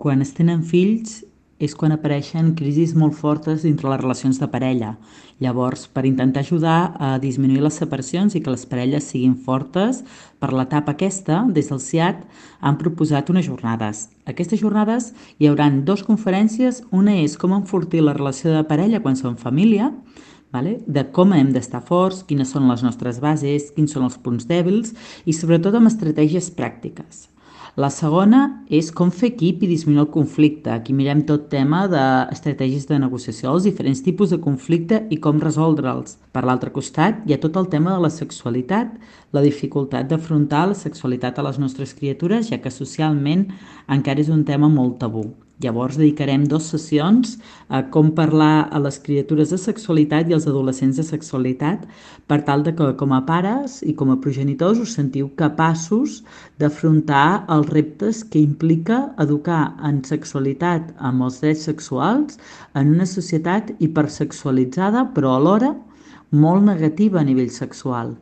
Quan es tenen fills és quan apareixen crisis molt fortes dintre les relacions de parella. Llavors, per intentar ajudar a disminuir les separacions i que les parelles siguin fortes, per l'etapa aquesta, des del CIAT, han proposat unes jornades. Aquestes jornades hi haurà dues conferències. Una és com enfortir la relació de parella quan som família, vale? De com hem d'estar forts, quines són les nostres bases, quins són els punts dèbils i sobretot amb estratègies pràctiques. La segona és com fer equip i disminuir el conflicte. Aquí mirem tot tema d'estratègies de negociació, els diferents tipus de conflicte i com resoldre'ls. Per l'altre costat, hi ha tot el tema de la sexualitat, la dificultat d'afrontar la sexualitat a les nostres criatures, ja que socialment encara és un tema molt tabú. Llavors dedicarem 2 sessions a com parlar a les criatures de sexualitat i als adolescents de sexualitat per tal de que com a pares i com a progenitors us sentiu capaços d'afrontar els reptes que implica educar en sexualitat amb els drets sexuals en una societat hipersexualitzada però alhora molt negativa a nivell sexual.